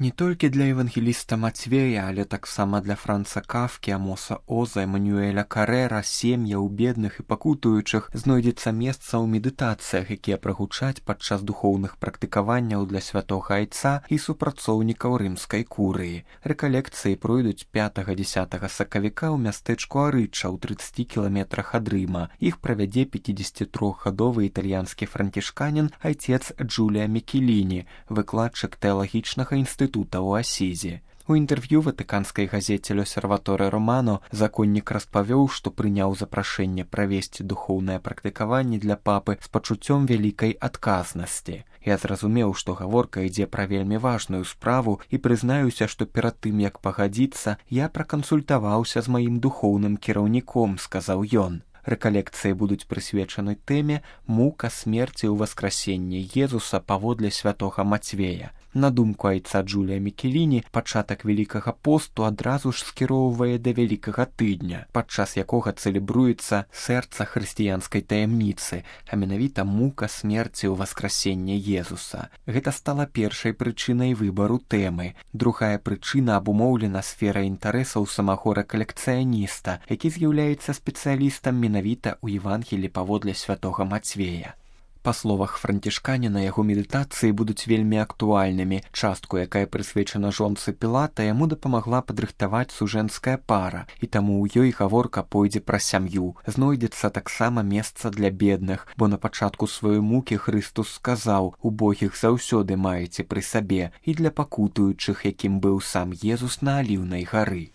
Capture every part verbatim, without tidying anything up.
Не толькі для евангеліста Мацвея, але таксама для Франца Кафкі, Амоса Оза, Эмануэля Карэра, сем'яў бедных і пакутуючых знойдзецца месца ў медытацыях, якія прагучаць падчас духоўных практыкаванняў для святога айца і супрацоўнікаў рымскай курыі. Рэкалекцыі пройдуць пятага-дзесятага сакавіка ў мястэчку Арыча ў трыццаці кіламетрах ад Рыма. Іх правядзе пяцідзесяцітрохгадовы італьянскі францішканін айцец Джулія Мікеліні, выкладчык тэалагічнага інстытута ў Асізе. У інтэрв'ю ватыканскай газеце «L'Osservatore Romano» законнік распавёў, што прыняў запрашэнне правесці духоўнае практыкаванне для папы з пачуццём вялікай адказнасці. Я зразумеў, што гаворка ідзе пра вельмі важную справу і прызнаюся, што перад тым, як пагадзіцца, я пракансультаваўся з маім духоўным кіраўніком, сказаў ён. Рэкалекцыі будуць прысвечаны тэме «Мука смерці ў васкрасенні Езуса паводле святога Мацвея». На думку айца Джулія Мікеліні, пачатак Вялікага посту адразу ж скіроўвае да Вялікага тыдня, падчас якога цэлебруецца сэрца хрысціянскай таямніцы, а менавіта мука смерці ў васкрасенні Езуса. Гэта стала першай прычынай выбару тэмы. Другая прычына абумоўлена сферай інтарэсаў самого рэкалекцыяніста, які з'яўляецца спецыялістам менавіта ў Евангелі паводле святога Мацвея. Па словах францішканіна, яго медытацыі будуць вельмі актуальнымі. Частку, якая прысвечана жонцы Пілата, яму дапамагла падрыхтаваць сужэнская пара, і таму ў ёй гаворка пойдзе пра сям'ю. Знойдзецца таксама месца для бедных, бо на пачатку сваёй мукі Хрыстус сказаў: «Убогіх заўсёды маеце пры сабе», і для пакутуючых, якім быў сам Езус на Аліўнай гары.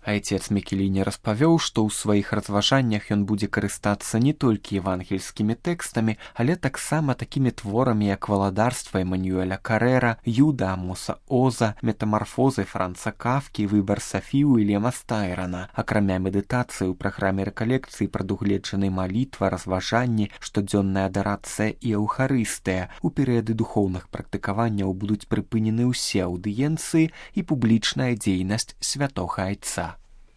Айцец Мікеліні распавёў, што ў сваіх разважаннях ён будзе карыстацца не толькі евангельскімі тэкстамі, але таксама такімі творамі, як «Валадарства» Эмануэля Карэра, «Юда» Амоса Оза, «Метамарфозы» Франца Кафкі, «Выбар Сафі» Уільяма Стайрана. Акрамя медытацыі ў праграме рэкалекцыі прадугледжаны малітва, разважанні, штодзённая адарацыя і эўхарыстыя. У перыяды духоўных практыкаванняў будуць прыпынены ўсе аўдыенцыі і публічная дзейнасць святога айца.